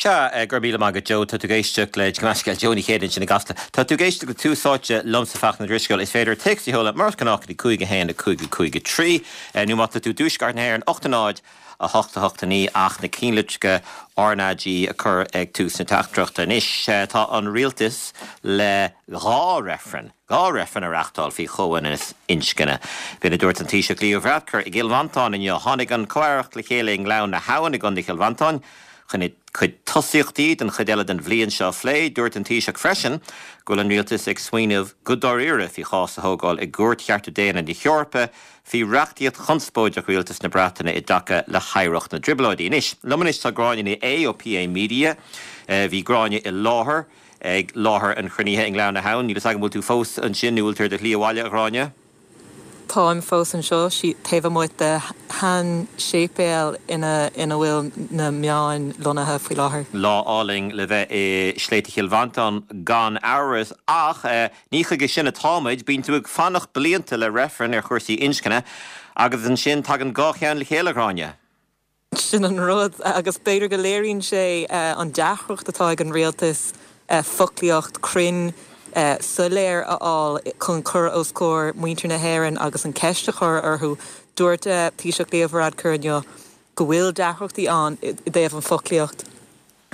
Sea, go raibh míle maith agat Joe. Tá tú ag éisteacht le, gabh mo leithscéal, Joe Ní Chéide ansin i gCasla. Tá tú ag éisteacht le Tús Áite liomsa Fachtna Ó Drisceoil. Is féidir téacs a sheoladh mar is gnách go dtí 5 1 5 5 3 nó má tá tú i dtuaisceart na hÉireann 8 0 8 8 9 ach na ceannlitreacha RnaG a chur ag tús na teachtaireachta. Anois tá an rialtas le 2 reifreann. 2 reifreann a reachtáil faoi chomhionannas inscne. B'in a dúirt an Taoiseach Leo Varadkar i gCill Mhantáin inniu. Tháinig an comh-aireacht le chéile i nGleann na hAbhann i gContae Chill Mhantáin chun a gcuid tosaíochtaí don chuid eile den bhliain seo a phlé. Dúirt an Taoiseach freisin go bhfuil an rialtas ag smaoineamh go dáiríre faoi chás a thógáil i gCúirt Chearta Daonna na hEorpa faoi reachtaíocht chonspóideach rialtas na Breataine i dtaca le hoidhreacht na dTrioblóidí. Anois, liom anois tá Gráinne Ní Aodha ó PA Media. Bhí Gráinne i láthair. ag láthair an chruinnithe i nGleann na hAbhann. Níl fhios agam an bhfuil tú fós ansin nó bhfuil tú ar do shlí abhaile, a Ghráinne? Táim fós anseo, taobh amuigh de shean-séipéal ina ina bhfuil na meáin lonnaithe faoi láthair. Lá álainn le bheith i Sléibhte Chill Mhantáin gan amhras, ach ní chuige sin atáimid. Bíonn tú ag fanacht blianta le reifreann ar chúrsaí inscne agus ansin tagann 2 cheann le chéile, a Ghráinne. Sin an rud, agus b'fhéidir go léiríonn sé an deacracht atá ag an rialtas foclaíocht cruinn soiléir a fháil chun cur os comhair muintir na hÉireann agus an ceist a chur orthu. Dúirt Taoiseach Leo Varadkar inniu go bhfuil deacrachtaí ann i dtaobh an foclaíocht.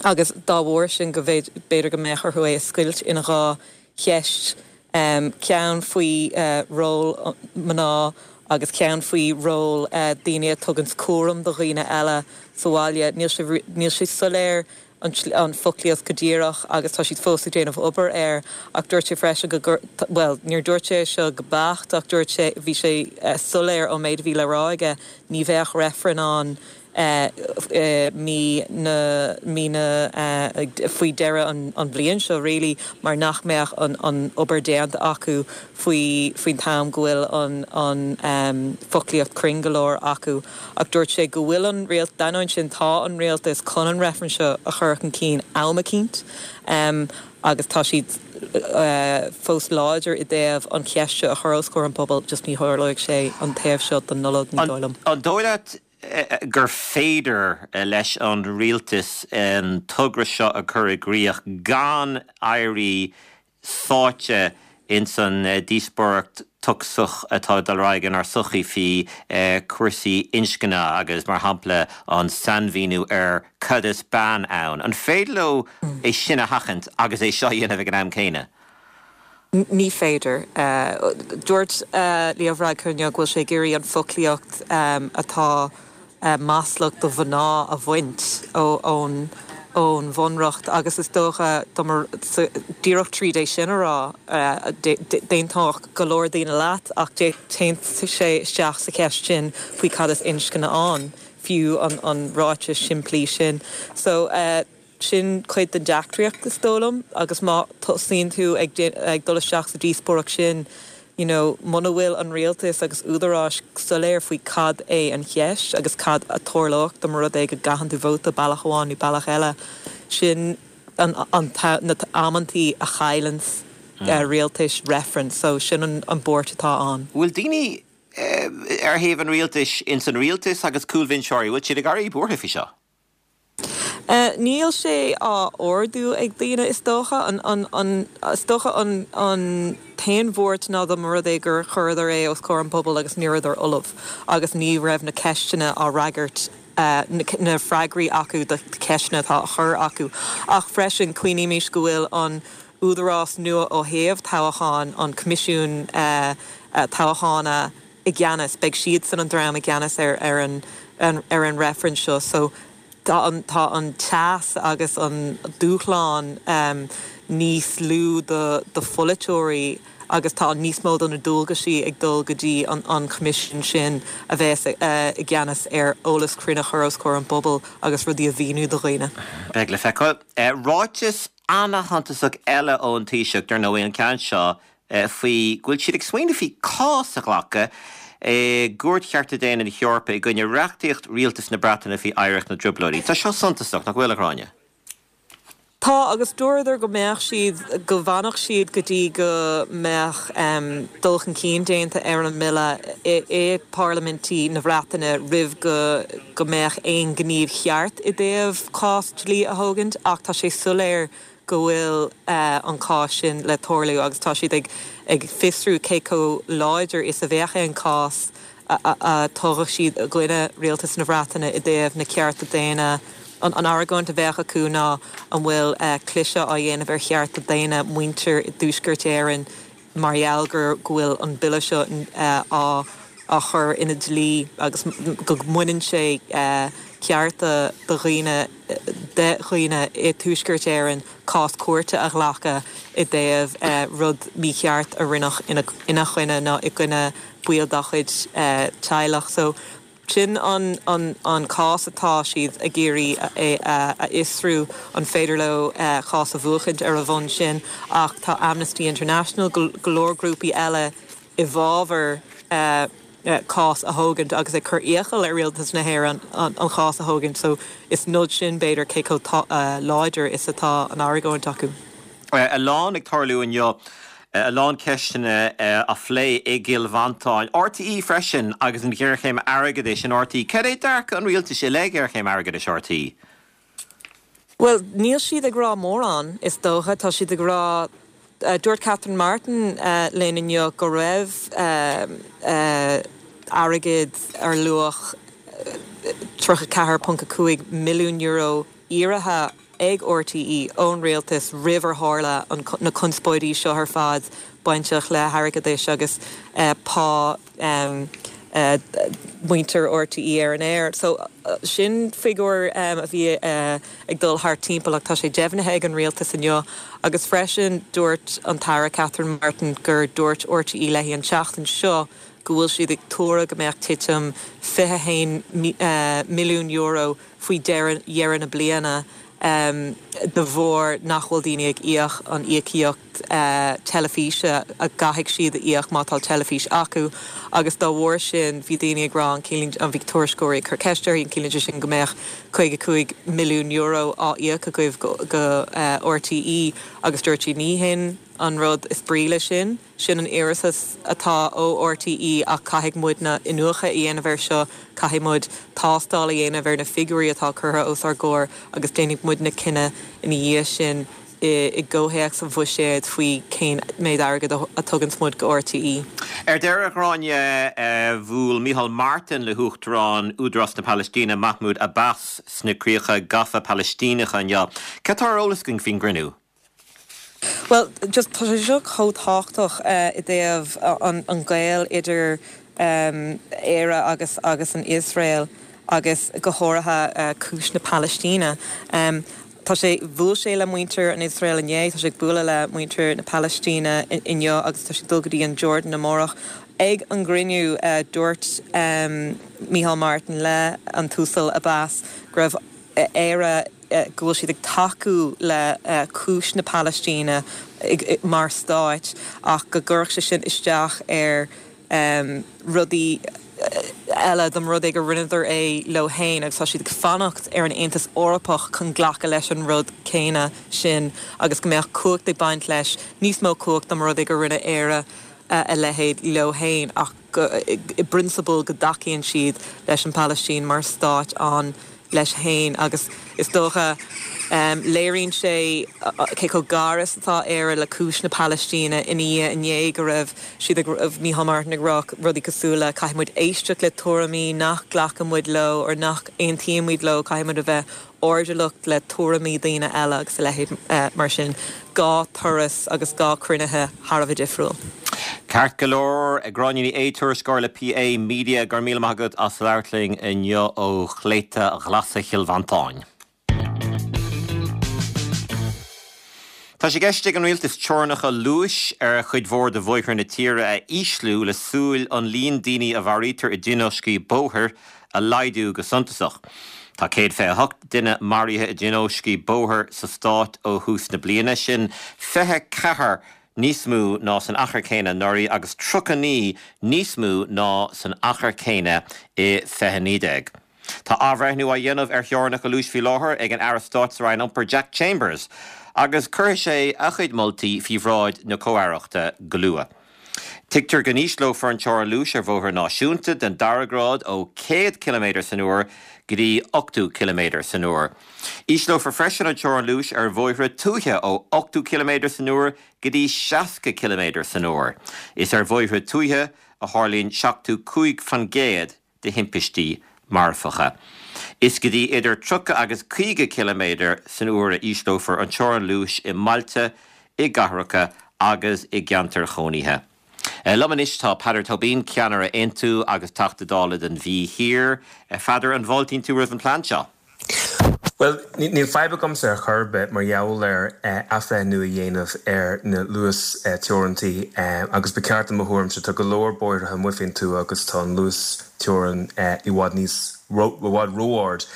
agus dá bharr sin go b'fhéidir go mbeadh orthu é a scoilt ina 2 cheist, ceann faoi ról mná agus ceann faoi ról daoine a tuganns cúram do dhaoine eile sa bhaile. Níl sé níl sé soiléir an foclaíocht go díreach agus tá siad fós ag déanamh obair air ach dúirt sé freisin go gcur bhuel níor dúirt sé é seo go beacht ach dúirt sé bhí sé soiléir ón méid a bhí le rá aige ní bheadh reifreann ann mí na mí na faoi dheireadh an bhliain seo really mar nach mbeadh an an obair déanta acu faoi faoin t-am go bhfuil an an foclaíocht cruinn go leor acu. Ach dúirt sé go bhfuil an rialt d'ainneoin sin tá an rialtas chun an reifreann seo a chur chun cinn am eicínt agus tá siad fós láidir i dtaobh an cheist seo a chur os comhair an phobail just ní tharlóidh sé an taobh seo den Nollaig ní dóigh liom. An dóigh leat gur féidir leis an rialtas an togra seo a chur i gcrích gan éirí sáite ins an díospóireacht tocsach atá ag dul ar aghaidh inár sochaí faoi chúrsaí inscne agus, mar shampla, an sainmhíniú ar cad is bean ann. An féidir leo é sin a sheachaint agus é seo a dhéanamh ag an am céanna? Ní féidir. Dúirt Leo Varadkar inniu go bhfuil sé ag iarraidh an foclaíocht atá maslach do mhná a bhaint ón bhunreacht agus is dócha díreach tríd é sin a rá, d'aontódh go leor daoine leat ach téann sé isteach sa cheist sin faoi cad is inscne ann, fiú an ráiteas simplí sin. So. Sin cuid den deacracht, is dóigh liom, agus má tosaíonn tú ag ag dul isteach sa díospóireacht sin, you know, muna bhfuil an rialtas agus údaráis soiléir faoi cad é an cheist agus cad a tarlódh dá mba rud é go gcaitheann tú vóta bealach amháin nó bealach eile, sin an an na amantaí a chailleanns rialtais reifreann. So sin an an buairt atá ann. Bhfuil daoine ar thaobh an rialtais, ins an rialtas agus cúlbhinseoirí, bhfuil siad ag éirí buartha faoi seo? Níl sé á ardú ag daoine is dócha. Is dócha an t-aon bhuairt ná dá mba rud é gur chuireadar é os comhair an phobail agus ní rabhadar ullamh agus ní raibh na ceisteanna á fhreagairt, na freagraí acu do cheisteanna atá á chur acu. Ach freisin, cuimhnímis go bhfuil an údarás nua ó thaobh toghacháin, an Coimisiún Toghcháin, i gceannas, beidh siadsan an dream i gceannas ar ar an ar an reifreann seo so tá an tá an teas agus an dúshlán níos lú do do pholaiteoirí agus tá níos mó de na dualgaisí ag dul go dtí an an choimisiún sin a bheas i gceannas ar eolas cruinn a chur os comhair an phobail agus rudaí a mhíniú do dhaoine. Beidh le feiceáil. Ráiteas ana-shuntasach eile ón Taoiseach, dar ndóigh, an ceann seo faoi go bhfuil siad ag smaoineamh faoi cás a ghlacadh i gCúirt Chearta Daonna na hEorpa i gcoinne reachtaíocht rialtas na Breataine faoi oidhreacht na dTrioblóidí. Tá seo suntasach, nach bhfuil, a Ghráinne? Tá, agus dúradar go mbeadh siad, go bhfanfadh siad go dtí go mbeadh dul chun cinn déanta ar an mbille i bparlaimintí na Breataine roimh go go mbeadh aon ghníomh cheart i dtaobh cás dlí a thógaint ach tá sé soiléir go bhfuil an cás sin le tarlú agus tá siad ag ag fiosrú cé chomh láidir is a bheadh aon chás a thógfadh siad i gcoinne rialtas na Breataine i dtaobh na cearta daonna. An argóint a bheadh acu ná an bhfuil cliseadh á dhéanamh ar chearta daonna muintir i dTuaisceart Éireann mar gheall gur go bhfuil an bille seo á á chur ina dlí agus go mbaineann sé cearta do dhaoine de dhaoine i dTuaisceart Éireann cás cúirte a ghlacadh i dtaobh rud mícheart a rinneadh ina choinne nó i gcoinne baill dá chuid teaghlach. So sin an an cás atá siad ag iarraidh a fhiosrú, an féidir leo cás a bhuachaint ar a bhonn sin. Ach tá Amnesty International, go leor grúpaí eile i bhfabhar cás a thógaint agus ag cur iachall ar rialtas na hÉireann an chás a thógaint. So is nod sin b'fhéidir cé chomh láidir is atá an argóint acu. A lán ag tarlú inniu, a lán ceisteanna á phlé i gCill Mhantáin. RTÉ freisin agus an ghéarchéim airgeadais in RTÉ. Cad é dearcadh an rialtais i leith ghéarchéim airgeadais RTÉ? Bhuel, níl siad ag rá mórán, is dócha. Tá siad ag rá, dúirt Catherine Martin linn inniu go raibh airgead ar luach €34.5 milliún iarrtha ag RTÉ ón rialtas roimh ar tharla na conspóidí seo ar fad bainteach le hairgeadais agus pá mhuintir RTÉ ar an aer. So sin figiúr a bhí ag dul thart timpeall ach tá sé deimhnithe ag an rialtas inniu agus freisin dúirt an tAire Catherine Martin gur dúirt RTÉ léi an tseachtain seo go bhfuil siad ag tuaradh go mbeadh titim €21 milliún faoi dheireadh na bliana de bharr nach bhfuil daoine ag íoc an íocaíocht teilifíse a gcaithfidh siad a íoc má tá teilifís acu agus dá bharr sin bhí daoine ag rá an ciallaíonn an bhí tuairisceoirí ag cur ceist uirthi an ciallaíonn sé sin go mbeadh €55 milliún á íoc agaibh go RTÉ agus dúirt sí ní hin an rud is brí leis sin. Sin an iarratas atá ó RTÉ ach caithfidh muidne iniúchadh a dhéanamh air seo, caithfidh muid tástáil a dhéanamh ar na figiúirí atá curtha os ár gcomhair agus déanfaidh muidne cinneadh ina dhiaidh sin i gcomhthéacs an bhuiséid faoi cén méid airgid a tuganns muid go RTÉ. Ar deireadh, a Ghráinne, bhuail Micheál Martin le hUachtarán Údarás na Palaistíne, Mahmoud Abbas, sna críocha gafa Palaistíneacha inniu. Cad tá ar eolas againn faoin gcruinniú? Bhuel, just tá sé seo chomh tábhachtach i dtaobh an gaol idir Éire agus agus an Iosrael agus go háirithe cúis na Palaistíne. Tá sé, bhuail sé le muintir an Iosrael inné, tá sé ag bualadh le muintir na Palaistíne inniu agus tá sé ag dul go dtí an Jordan amárach. Ag an gcruinniú dúirt Micheál Martin le an tUasal Abbas go raibh Éire, go bhfuil siad ag tacú le cúis na Palaistíne mar stáit ach go gcuirfeadh sé sin isteach ar rudaí eile dá mba rud é gur rinneadar é leo féin agus tá siad ag fanacht ar an Aontas Eorpach chun glacadh leis an rud céanna sin agus go mbeadh cumhacht ag baint leis, níos mó cumhacht dá mba rud é gur rinne Éire a leithéid leo féin ach go i bprionsabal go dtacaíonn siad leis an Phalaistín mar stáit ann leis féin agus is dócha léiríonn sé cé chomh gar is atá Éire le cúis na Palaistíne ina dhiaidh inné go raibh siad ag Micheál Martin ag rá rudaí cosúil le caithfidh muid éisteacht le tuairimí nach nglacann muid leo or nach aontaímid leo, caithfidh muid a bheith airdeallach le tuairimí daoine eile agus a leithéid mar sin. 2 turas agus 2 cruinnithe thar a bheith difriúil. Ceart go leor, Gráinne Ní Aodha, tuairisceoir le PA Media, go raibh míle maith agat as labhairt linn inniu ó Shléibhte Ghlasa Chill Mhantáin. Tá sé i gceist ag an Rialtas teorainneacha luais ar chuid mhór de bhóithre na tíre a ísliú le súil an líon daoine a mharaítear i dtionóiscí bóthair a laghdú go suntasach. Tá 128 duine maraithe i dtionóiscí bóthair sa stát ó thús na bliana, sin 24 níos mó ná san achar céanna anuraidh agus 39 níos mó ná san achar céanna i 2019. Tá athbhreithniú á dhéanamh ar theorainneacha luais faoi láthair ag an Aire Stáit sa Roinn Iompair Jack Chambers agus cuirfidh sé a chuid moltaí faoi bhráid na Comh-Aireachta go luath. Tuigtear go n-ísleofar an teorainn luais ar bhóithre náisiúnta den dara grád ó 100 ciliméadar san uair go dtí 80 ciliméadar san uair. Ísleofar freisin an teorainn luais ar bhóithre tuaithe ó 80 ciliméadar san uair go dtí 60 ciliméadar san uair. Is ar bhóithre tuaithe a tharlaíonn 75% de thimpistí marfacha. Is go dtí idir 30 agus 50 ciliméadar san uair a ísleofar an teorainn luais i mbailte, i gcathracha agus i gceantair chónaithe. Liom anois tá Peadar Tóibín, ceannaire Aontú agus Teachta Dála don Mhí Thiar. A Pheadair, an bhfáiltíonn tú roimh an plean seo? Bhuel, níl fadhb agamsa ar chor ar bith mar gheall ar athbhreithniú a dhéanamh ar na luas-teorantaí agus ba cheart i mo thuairimse, tá go leor bóithre amuigh faoin tuath agus tá an luas-teorann i bhfad níos, i bhfad ró-ard.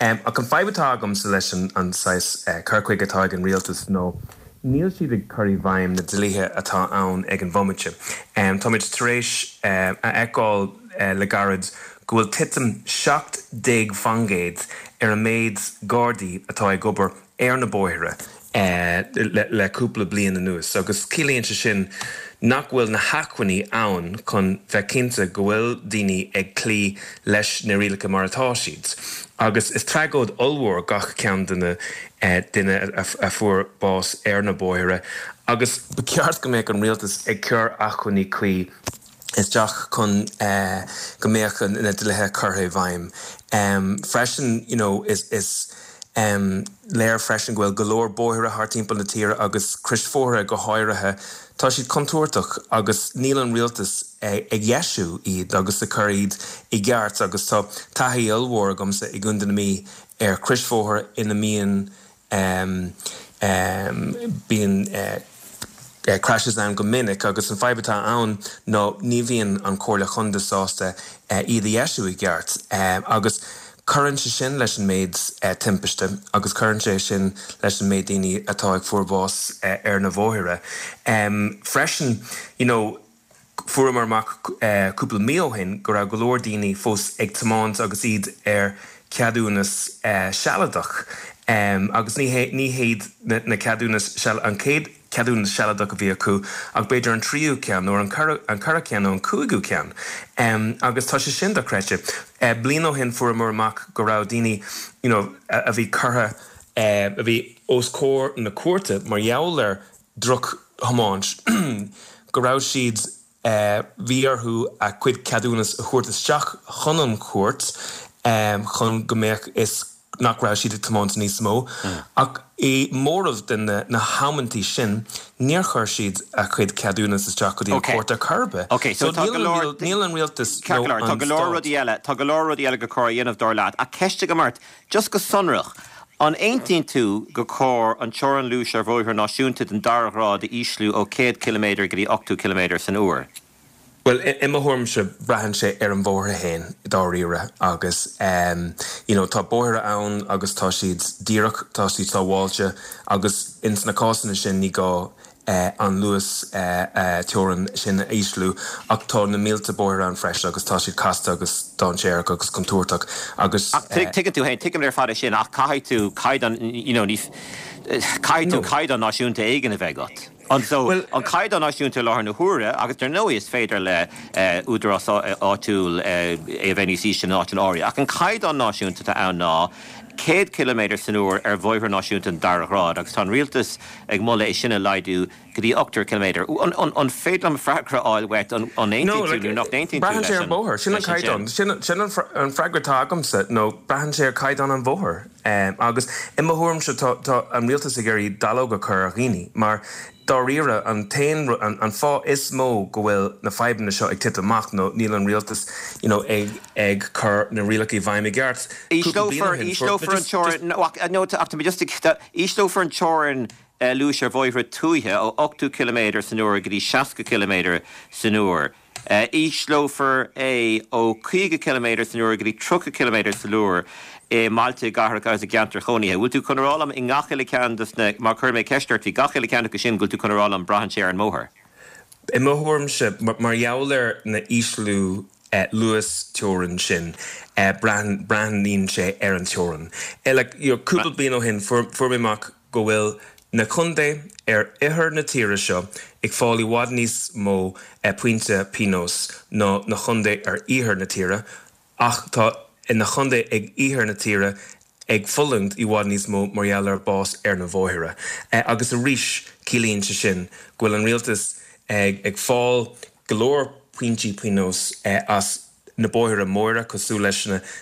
Ach an fadhb atá agamsa leis an saghas cur chuige atá ag an rialtas nó níl siad ag cur i bhfeidhm na dlíthe atá ann ag an bhomaite. Táimid tar éis a fheiceáil le gairid go bhfuil titim 17% ar an méid Gardaí atá ag obair ar na bóithre le cúpla bliain anuas agus ciallaíonn sé sin nach bhfuil na hacmhainní ann chun bheith cinnte go bhfuil daoine ag cloí leis na rialacha mar atá siad. Agus is tragóid ollmhór gach ceann de na duine a fuair bás ar na bóithre agus ba cheart go mbeadh an rialtas ag cur acmhainní cuí isteach chun go mbeadh na dlíthe curtha i bhfeidhm. Freisin, you know, is is léir freisin go bhfuil go leor bóithre thart timpeall na tíre agus croisbhóithre go háirithe, tá siad contúirteach agus níl an rialtas ag dheisiú iad agus ag cur iad i gceart agus tá taithí ollmhór agamsa i gContae na Mí ar chroisbhóthar ina mbíonn Bíonn crashes ann go minic agus an fadhb atá ann ná ní bhíonn an Chomhairle Chontae sásta iad a dheisiú i gceart agus cuireann sé sin leis an méid timpiste agus cuireann sé sin leis an méid daoine atá ag fuair bás ar na bhóithre. Freisin, you know, Fuaireamar amach cúpla mí ó shin go raibh go leor daoine fós ag tiomáint agus iad ar cheadúnas sealadach agus ní hé ní hiad na ceadúnas an chéad cheadúnas sealadach a bhí acu ach b'fhéidir an tríú ceann nó an ceathrú ceann nó an cúigiú ceann agus tá sé sin dochreidte. Bliain ó shin fuaireamar amach go raibh daoine you know a bhí curtha a bhí os comhair na cúirte mar gheall ar drochthiomáint, go raibh siad, bhí orthu a gcuid ceadúnas a thabhairt isteach chun an chúirt chun go mbeadh fhios nach raibh siad ag tiomáint níos mó. Ach i móramh de na hamantaí sin, níor chuir siad a gcuid ceadúnas isteach go dtí an chúirt ar chor ar bith. So níl an rialtas nó an stát. Tá go leor rudaí eile, tá go leor rudaí eile gur cóir a dhéanamh dar leat. Ach ceist agam ort, Just go sonrach, an aontaíonn tú gur cóir an teorainn luais ar bhóithre náisiúnta den dara ghrád a ísliú ó 100 ciliméadar go dtí 80 ciliméadar san uair? Bhuel, i mo thuairimse, braitheann sé ar an bhóthar féin, dáiríre, agus you know tá bóithre ann agus tá siad díreach, tá siad sábháilte agus ins na cásanna sin ní gá an luas teorann sin a ísliú ach tá na mílte bóithre ann freisin agus tá siad casta agus dainséarach agus contúirteach agus. Ach tuigeann tú féin, tuigim ar fad é sin ach caithfidh tú caighdeán, you know, ní, caithfidh tú caighdeán náisiúnta éigin a bheith agat. An so, an caighdeán náisiúnta i láthair na huaire agus dar ndóigh is féidir le údarás áitiúil é a bheith níos ísle in áiteanna áirithe ach an caighdeán náisiúnta atá ann ná 100 ciliméadar san uair ar bhóithre náisiúnta den dara ghrád agus tá an rialtas ag moladh é sin a laghdú go dtí 80 ciliméadar. An féidir liom freagra a fháil uait, an aontaíonn tú nó nach n-aontaíonn tú leis an. Braitheann sé ar an bhóthar. Sin an caighdeán. Sin an freagra atá agamsa, nó braitheann sé ar chaighdeán an bhóthair. Agus i mo thuairimse tá an rialtas ag iarraidh dallóg a chur ar dhaoine mar dáiríre an t-aon an fáth is mó go bhfuil na fadhbanna seo ag titim amach nó níl an rialtas you know ag ag cur na rialacha i bhfeidhm i gceart. Cúpla bliain ó shin fuair just just Ísleofar an teorainn luais ar bhóithre tuaithe ó 80 ciliméadar san uair go dtí 60 ciliméadar san uair. Ísleofar é ó 50 ciliméadar san uair go dtí 30 ciliméadar san uair i mbailte, i gcathracha agus i gceantair chónaithe. Bhfuil tú chun a rá liom i ngach uile ceann dos na, má chuir mé ceist ort faoi gach uile ceann acu sin, go bhfuil tú chun a rá liom braitheann sé ar an mbóthar? I mo thuairimse, mar gheall ar na ísliú. Luas teorann sin, breathnaíonn sé ar an teorann. Like, you know, cúpla bliain ó shin fuair mé amach go bhfuil na contae ar oirthear na tíre seo ag fáil i bhfad níos mó pointe pionóis ná na contae ar iarthar na tíre ach tá na contae ag iarthar na tíre ag fulaingt i bhfad níos mó mar gheall ar bás ar na bhóithre. Agus arís ciallaíonn sé sin go bhfuil an rialtas ag fáil go leor pointí pionóis as na bóithre móra cosúil leis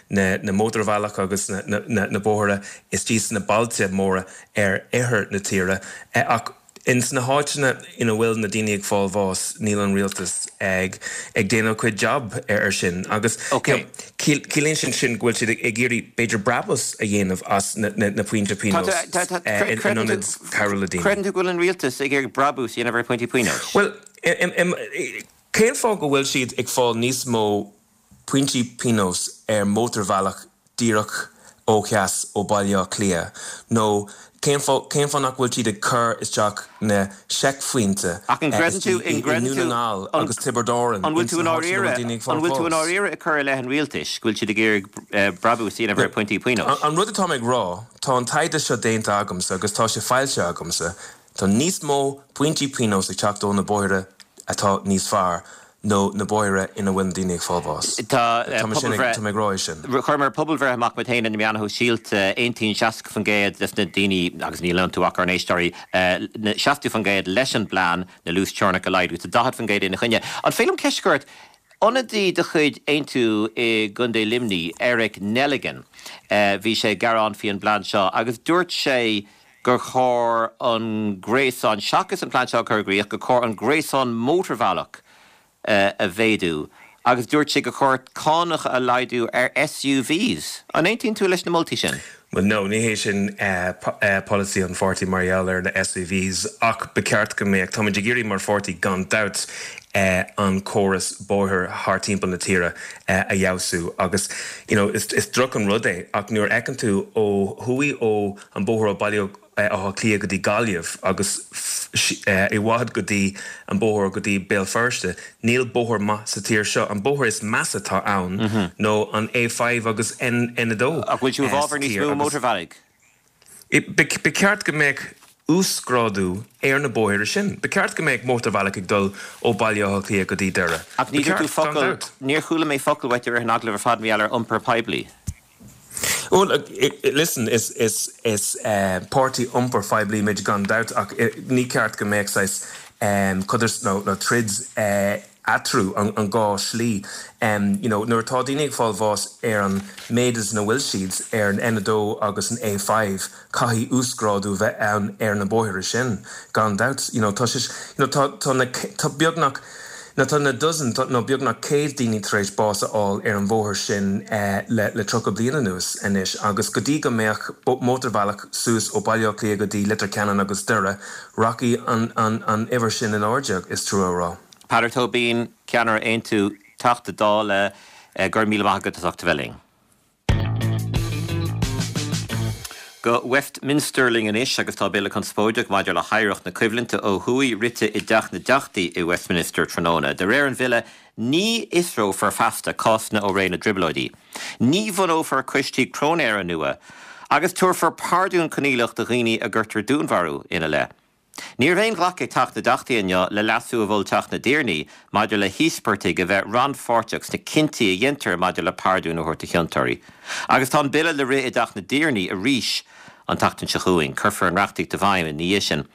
na mótarbhealach agus na bóithre istigh sna bailte móra ar oirthear na tíre ach ins na háiteanna ina bhfuil na daoine ag fáil bháis níl an rialtas ag ag déanamh a cuid job ar sin agus ciallaíonn sin sin go bhfuil siad ag iarraidh b'fhéidir brabús a dhéanamh as na pointe pionóis in ionad cabhrú le daoine. Creideann tú go bhfuil an rialtas ag iarraidh brabús a dhéanamh ar phointí pionóis? Bhuel, Cén fáth go bhfuil siad ag fáil níos mó pointí pionóis ar mótarbhealach díreach ó dheas ó Baile Átha Cliath nó cén fáth cén fáth nach bhfuil siad ag cur isteach na seicphointe Ach an gcreideann tú i nDún na nGall agus Tiobraid Árann An bhfuil tú ins i na háiteanna a bhfuil ndáiríre daoine ag An fáil bhfuil tú i bháis? ndáiríre ag cur i leith an rialtais go bhfuil siad ag iarraidh brabús a dhéanamh ar phointí pionóis? An rud atá mé ag rá, tá an taighde seo déanta agamsa agus tá sé foilsithe agamsa, Tá níos mó pointí pionóis ag teacht ó na bóithre atá níos fearr nó na bóithre ina bhfuil na daoine ag fáil bháis. Tá Tá mé sin ag, pobalbhreith, tá mé ag rá é sin. Chuireamar pobalbhreith amach muid féin ar na meáin shóisialta, aontaíonn 60% des na daoine, agus níl iontu ach ár n-éisteoirí, 60% leis an bplean na luasteorainneacha a laghdú, tá 40% ina choinne. An féidir liom ceist a chur ort? Ionadaí de chuid Aontú i gContae Luimnigh, Eric Nelligan, bhí sé ag gearán faoi an bplean seo agus dúirt sé gur chóir an gréasán, seachas an plean seo a chur i gcrích, gur chóir an gréasán mótarbhealach a mhéadú agus dúirt sé gur chóir cánacha a laghdú ar SUVs. An aontaíonn tú leis na moltaí sin? Bhuel, no, ní hé sin polasaí an pháirtí mar gheall ar na SUVs ach ba cheart go mbeadh, táimid ag iarraidh mar pháirtí gan dabht an córas bóthair thar timpeall na tíre a fheabhsú agus you know is droch an rud é ach nuair a fheiceann tú ó thuaidh ó an bóthar ó Baile Átha Cliath go dtí Gaillimh agus i bhfad go dtí an bóthar go dtí Béal Feirste. Níl bóthar maith sa tír seo. An bóthar is measa atá ann nó an A5 agus N2 Ach bhfuil tú i sa bhfabhar níos tír mó agus mótarbhealaigh? ba cheart go mbeadh uasghrádú ar na bóithre sin. Ba cheart go mbeadh mótarbhealach ag dul ó Baile Átha Cliath go dtí Doire. Ach Ba ní dúirt tú cheart, gan focal, dabht. níor chuala mé focal uait i rith an agallaimh ar fad mar gheall ar iompar poiblí. Bhuel, listen, is is páirtí iompair phoiblí muid gan dabht ach ní ceart go mbeadh saghas codarsnacht nó nó troid eatarthu, an dhá slí. You know, nuair atá daoine ag fáil bháis ar an méid is ina bhfuil siad ar an N2 agus an A5, Caithfidh uasghrádú bheith ann ar na bóithre sin, gan dabht. You know, tá sé, you know, tá, tá na, tá beagnach, nó tá na dozen, nó beagnach 100 daoine tar éis bás a fháil ar an bhóthar sin le, le 30 bliain anuas anois agus go dtí go mbeadh mótarbhealach suas ó Baile Átha Cliath go dtí Leitir Ceanainn agus Doire, rachaidh an, an, an uimhir sin in airde, is trua a rá. Peadar Tóibín, Ceannaire Aontú, Teachta Dála, go raibh míle maith agat as ucht a bheith linn. Go Westminster linn anois agus tá bille conspóideach maidir le hoidhreacht na coimhlinte ó thuaidh rite i dTeach na dTeachtaí i Westminster tráthnóna. De réir an bhille, ní fhiosrófar feasta cásanna ó ré na dTrioblóidí, ní bhunófar coistí cróinéara nua agus tabharfar pardún coinníollach do dhaoine a gcuirtear dúnmharú ina leith. Ní raibh aon ghlacadh ag Teach na dTeachtaí inniu le leasú a mhol Teach na dTiarnaí maidir le híospartaigh a bheith rannpháirteach sna cinntí a dhéantar maidir le pardún a thabhairt do chiontóirí. Agus tá an bille le rith i dTeach na dTiarnaí arís an tseachtain seo chugainn. Cuirfear an reachtaíocht i bhfeidhm ina dhiaidh sin.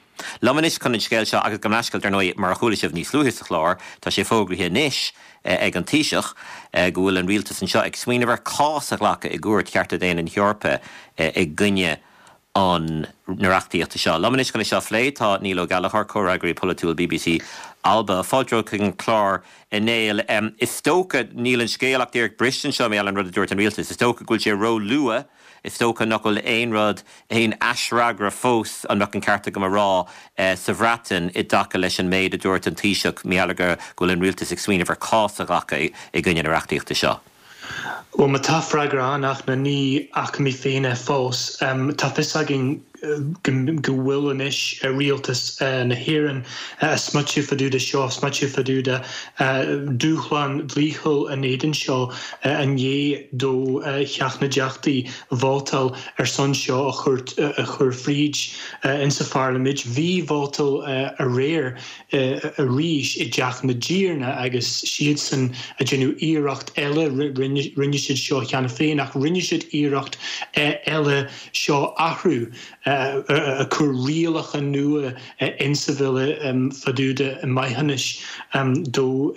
Liom anois chun an scéal seo agus gabh mo leithscéal, dar ndóigh, mar a chuala sibh níos luaithe sa chlár, tá sé fógraithe anois ag an Taoiseach go bhfuil an rialtas anseo ag smaoineamh ar chás a ghlacadh i gCúirt Chearta Daonna na hEorpa i gcoinne an na reachtaíochta seo. Liom anois chun é seo a phlé tá Niall Ó Gallchóir, comhfhreagraí polaitiúil bbc Alba. Fáilte romhat chuig an chlár, a Néill. Is dócha, níl an scéal ach díreach briste anseo mar gheall ar an rud a dúirt an rialtas. Is dócha go bhfuil sé ró-luath, is dócha nach bhfuil aon rud, aon aisfhreagra fós, an mbeadh an ceart agam a rá, sa Bhreatain i dtaca leis an méid a dúirt an Taoiseach mar gheall ar go bhfuil an rialtas ag smaoineamh ar chás a ghlacadh i gcoinne na reachtaíochta seo. Bhuel, má tá freagra ann, ach ní fhaca mé féin é fós. Tá fios againn. go bhfuil anois rialtas na hÉireann a' smaoitiú fá dtaobh de seo, smaoitiú fá dtaobh de dúshlán dlíthiúil in éadan seo i ndiaidh do Theach na dTeachtaí vótáil ar son seo a chur fríd insa pharlaimint. Bhí vótáil aréir arís i dTeach na dTiarna agus siadsan a déanamh iarracht eile, rinne siad seo cheana féin ach rinne siad iarracht eile seo athrú, a cur rialacha nua insa bhille fá dtaobh de maithiúnais do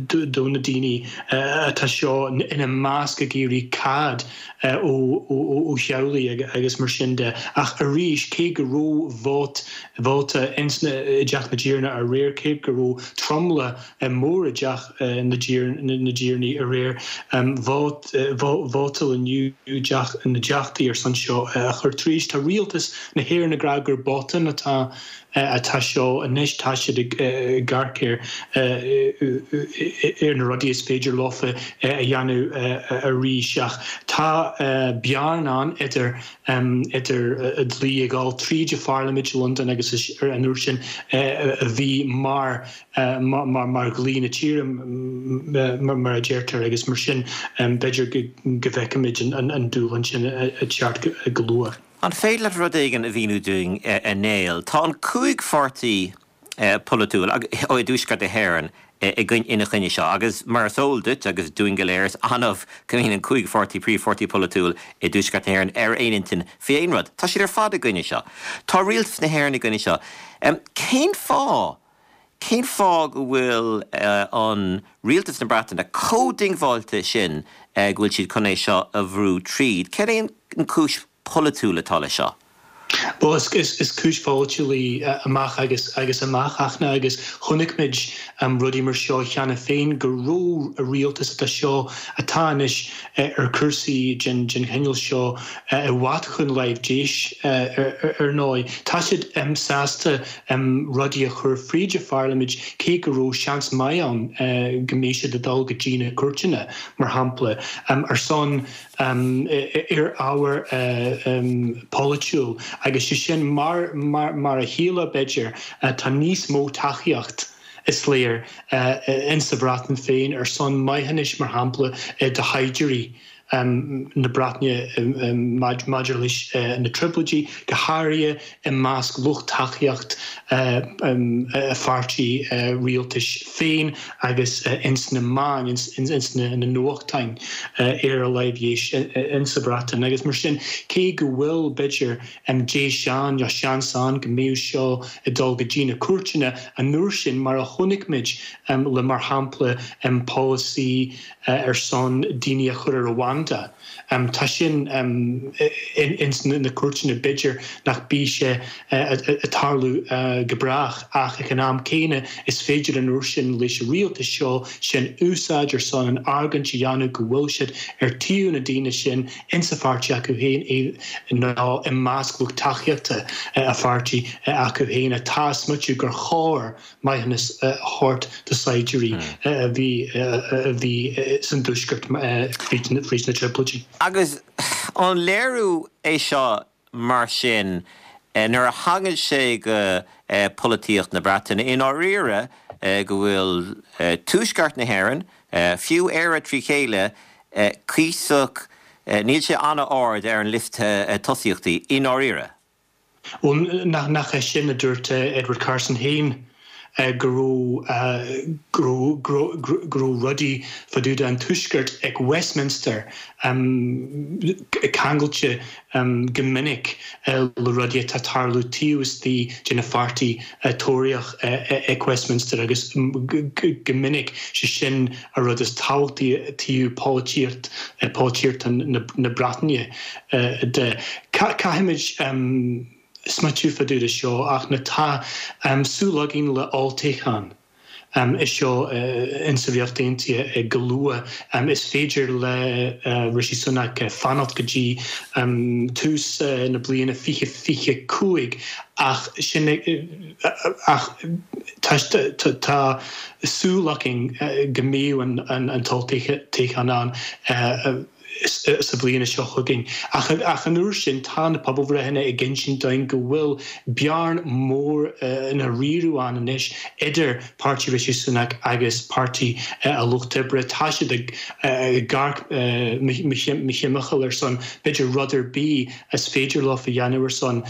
do na daoine atá seo ina measc ag iarraidh cead ó theaghlaigh agus mar sin de. Ach arís, cé go raibh vóta ins na i dTeach na dTiarna aréir, cé go raibh tromlach mór i dTeach na dTiarnaí aréir, vótáil inniu i dTeach na dTeachtaí ar son seo a chur tríd. Tá rialtas na hÉireann ag rá gur botún atá atá seo anois, tá siad ag amharc ar ar na rudaí is féidir leofa a dhéanamh arís ach tá bearna ann idir idir dlí ag dul tríd i Pharlaimint Londain agus an uair sin a bhí mar mar dhlí na tíre mar a deirtear agus mar sin b'fhéidir go bhfeicfimid an dúshlán sin ag teacht go luath. An féidir leat rud éigin a mhíniú dúinn, a Néill? Tá an 5 pháirtí polaitiúil i dTuaisceart na hÉireann ina choinne seo agus mar is eol duit agus dúinn go léir, is annamh go mbíonn an 5 pháirtí, príomhpháirtí polaitiúil i dTuaisceart na hÉireann ar aon intinn faoi aon rud. Tá siad ar fad i gcoinne seo. Tá rialtas na hÉireann i gcoinne seo. Cén fáth? Cén fáth go bhfuil an rialtas na Breataine chomh diongbháilte sin go bhfuil siad chun é seo a bhrú tríd? Céard é an chúis pholaitiúil atá leis seo? Bhuel, is cúis pholaitiúil í amach agus agus amach, Fhachtna, agus chonaic muid rudaí mar seo cheana féin, go raibh rialtas atá seo, atá anois ar chúrsaí den chineál seo i bhfad chun láimh deis, ar ndóigh. Tá siad sásta rudaí a chur fríd a pharlaimint cé go raibh seans maith ann go mbeadh siad ag dul go dtí na cúirteanna, mar shampla, ar son ar ábhar polaitiúil agus sé sin mar mar a shílfeá b'fhéidir, tá níos mó tacaíocht, is léir, insa Bhreatain féin ar son maithiúnais, mar shampla, do shaighdiúirí. na Breataine maidir leis na Trioblóidí, go háirithe i measc lucht tacaíocht a pháirtí rialtais féin agus ins na meáin, ins na nuachtáin ar a láimh dheis insa Bhreatain. Agus mar sin, cé go bhfuil, b'fhéidir, deis ann, nó seans ann go mbeadh seo ag dul go dtí na cúirteanna an uair sin, mar a chonaic muid le, mar shampla, polasaí ar son daoine a chur ar Rwanda. Tá sin ins na cúirteanna, b'fhéidir nach mbeidh sé ag tarlú go brách ach ag an am céanna is féidir an uair sin leis an rialtas seo sin úsáid ar son an argóint a dhéanamh go bhfuil siad ar taobh na daoine sin insa pháirtí acu féin nó i measc lucht tacaíochta a pháirtí acu féin atá ag smaoitiú gur chóir maithiúnas a thabhairt do saighdiúirí a bhí a bhí san dtuaisceart fríd na Trioblóidí. Agus an léiriú é seo mar sin nuair a thagann sé go polaitíocht na Breataine i ndáiríre go bhfuil tuaisceart na hÉireann, fiú Éire trí chéile, cuíosach, níl sé an-ard ar an liosta tosaíochtaí i ndáiríre? Bhuel, nach é sin a dúirt Edward Carson féin, go raibh, go raibh, go raibh rudaí fá dtaobh den Tuaisceart ag Westminster ceangailte go minic le rudaí atá ag tarlú taobh istigh de na pháirtí Tóraíoch ag Westminster agus go minic sé sin a rud is tábhachtaí taobh polaitíocht, polaitíocht na Breataine de. Caithfimid smaoitiú fá dtaobh de seo ach na tá súil againn le olltoghchán é seo insa Ríocht Aontaithe go luath. Is féidir le Rishi Sunak fanacht go dtí tús na bliana 2025 ach sin ach tá súil againn go mbeidh an t-olltoghchán ann. Sa bhliain seo chugainn. Ach an uair sin, tá na pobalbhreitheanna ag insint dúinn go bhfuil bearn mór ina riaradh ann anois idir Páirtí Rishi Sunak agus Páirtí an Lucht Oibre. Tá siad ag amharc mo thimcheall ar son b'fhéidir rud ar bith is féidir leo a dhéanamh ar son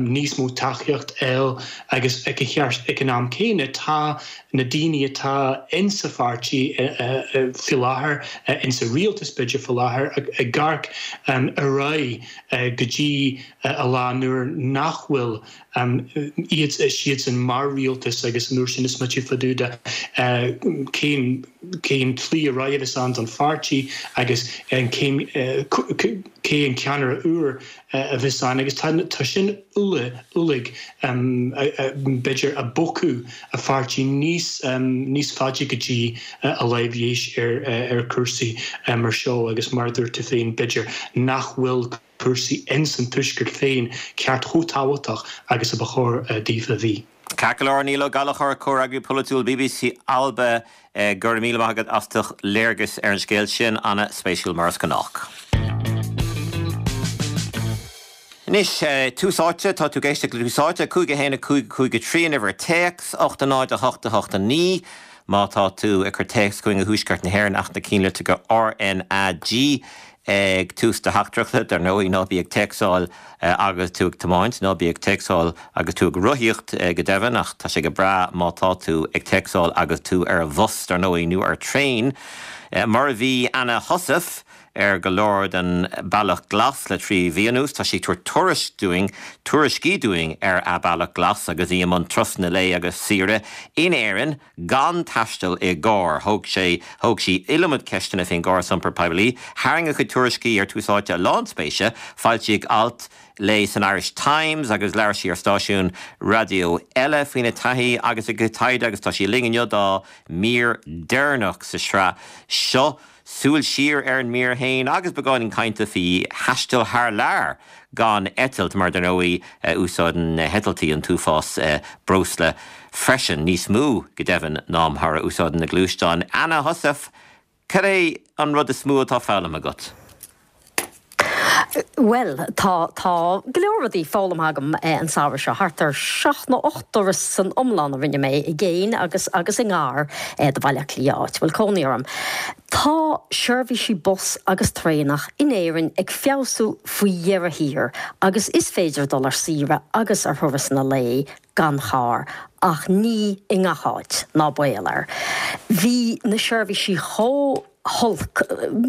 níos mó tacaíocht a fháil agus ag an am céanna tá na daoine atá insa pháirtí faoi láthair, insa rialtas b'fhéidir faoi láthair, ag amharc ar aghaidh go dtí a lá nuair nach bhfuil iad siadsan mar rialtas agus an uair sin is smaoitiú fá dtaobh de cén cén tslí ar aghaidh a bheas ann don pháirtí agus cén cé an ceannaire úr a bheas ann agus tá sin uilig b'fhéidir ag bocadh a pháirtí níos níos faide go dtí a láimh dheis ar cúrsaí mar seo agus mar a dúirt tú féin b'fhéidir nach bhfuil cúrsaí ins an Tuaisceart féin ceart chomh tábhachtach agus a ba chóir daofa a bhí. Ceart go leor, Niall Ó Gallchóir, Comhfhreagraí Polaitiúil bbc Alba, go raibh míle maith agat as do léargas ar an scéal sin, ana-spéisiúil mar is gnách. Anois, Tús Áite, tá tú ag éisteacht le Tús Áite, 5 1 5 5 3 an uimhir téacs, 8 0 8 8 9. Má tá tú ag cur téacs chugainn ó Thuaisceart na hÉireann ach na cinnlitreacha RnaG ag tús do theachtaireachta, dar ndóigh, ná bí ag téacsáil agus tú ag tiomáint, ná bí ag téacsáil agus tú ag rothaíocht go deimhin, ach tá sé go breá má tá tú ag téacsáil agus tú ar bhus, dar ndóigh, nó ar traein, mar a bhí Anna Heussaff ar go leor den Bealach Glas le 3 mhí anuas. Tá sí ag tabhairt tuairisc dúinn, tuairiscí dúinn ar a Bealach Glas agus í i mbun turasanna lae agus saoire in Éirinn. gan taisteal i gcarr. Thóg sé, thóg sí iliomad ceisteanna faoin gcóras iompair poiblí. Tharraing a cuid tuairiscí ar Tús Áite a lán spéise. Foilsíodh alt léi san Irish Times agus labhair sí ar stáisiún raidió eile faoina taithí agus a cuid taighde agus tá sí linn inniu dá mír deireanach sa sraith seo. Súil siar ar an mír féin agus beagáinín cainte faoi thaisteal thar lear gan eitilt, mar dar ndóigh úsáideann na heitiltí an t-uafás breosla freisin, níos mó go deimhin ná mar a úsáideann na gluaisteáin. Anna Heussaff, cad é an rud is mó atá foghlamtha agat? Bhuel, tá, tá go leor rudaí foghlamtha agam an samhradh seo. Thart ar sheacht nó 8 dturas san iomlán a rinne mé i gcéin agus agus i ngar do Bhaile Átha Cliath, áit a bhfuil cónaí orm. Tá seirbhísí bus agus traenach in Éirinn ag feabhsú faoi dheireadh thiar agus is féidir dul ar saoire agus ar thurasanna lae gan charr, ach ní i ngach áit, ná baol air. Bhí na seirbhísí chomh. holc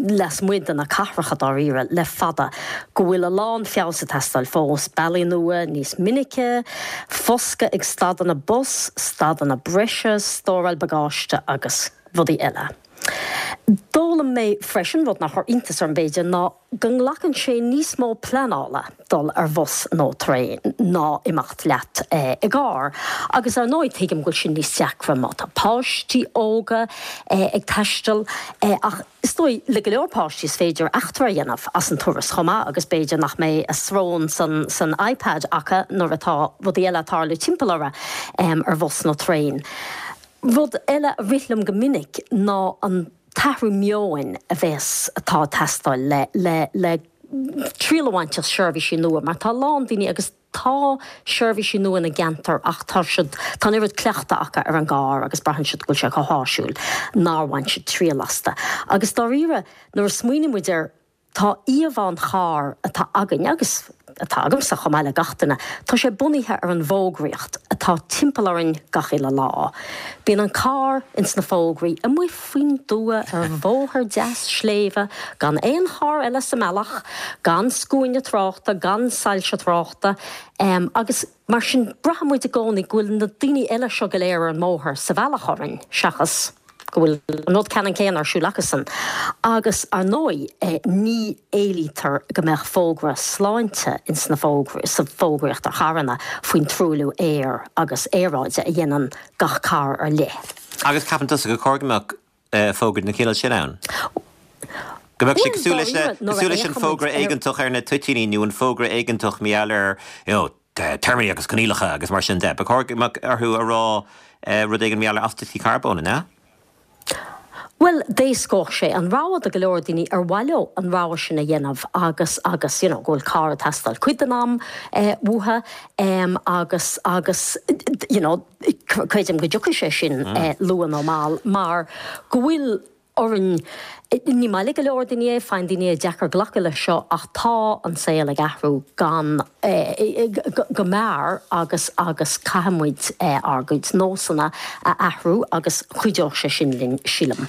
lasmuigh de na cathracha dáiríre le fada go bhfuil a lán feabhas ag teastáil fós, bealaí nua níos minice, foscadh ag stadanna bus, stadanna breise, stóráil bagáiste agus rudaí eile. D'fhoghlaim mé freisin, rud nár chuir iontas orm b'fhéidir, ná go nglacann sé níos mó pleanála dul ar bhus nó traein ná imeacht leat i gcarr. Agus ar ndóigh tuigim go bhfuil sin níos deacra má tá páistí óga ag taisteal ach is dóigh le go leor páistí is féidir eachtra a dhéanamh as an turas chomh maith agus b'fhéidir nach mbeidh a srón san san iPad acu nuair atá rudaí eile ag tarlú timpeall orthu ar bhus nó traein. Rud eile a rith liom go minic ná an t-athrú meoin a bhéas, atá ag teastáil le, le, le triail a bhaint as seirbhísí nua mar tá a lán daoine agus tá seirbhísí nua ina gceantar ach tá siad, tá an oiread cleachtadh acu ar an gcarr agus braitheann siad go bhfuil sé chomh háisiúil nár bhain siad triail astu. Agus dáiríre nuair a smaoiníonn muid air Tá íomhá an chairr atá againn, agus atá agamsa chomh maith le gach duine, tá sé bunaithe ar an bhfógraíocht atá timpeall orainn gach uile lá. Bíonn an carr ins na fógraí, amuigh faoin dtuath ar bhóthar deas sléibhe, gan aon charr eile sa mbealach, gan scuaine tráchta, gan soilse tráchta, agus mar sin braitheann muid i gcónaí go bhfuil na daoine eile seo go léir ar an mbóthar sa bhealach orainn, seachas. go bhfuil an rud ceannann céanna ar siúl acusan. Agus, ar ndóigh, ní éilítear go mbeadh fógra sláinte ins na fógraí, sa bhfógraíocht ar charranna faoin truailliú aeir agus aeráide a dhéanann gach carr ar leith. Agus ceapann tusa gur chóir go mbeadh fógra den chineál sin ann? Go mbeadh sé cosúil leis na, cosúil leis an bhfógra éigeantach ar na toitíní nó an fógra éigeantach mar gheall ar, you know, téarmaí agus coinníollacha agus mar sin de. Ba chóir go mbeadh orthu a rá rud éigin mar gheall ar astaíochtaí carbóin, an ea? Bhuel, d'éascódh sé an rogha do go leor daoine ar mhaith leo an rogha sin a dhéanamh agus, agus, you know, go bhfuil carr ag teastáil cuid den am uathu agus, agus, you know, creidim go dtiocfaidh sé sin luath nó mall mar go bhfuil orainn, ní maith le go leor daoine é, faigheann daoine é deacair glacadh leis seo ach tá an saol ag athrú gan, go mear agus agus caithfidh muid ár gcuid nósanna a athrú agus cuideoidh sé sin linn, sílim.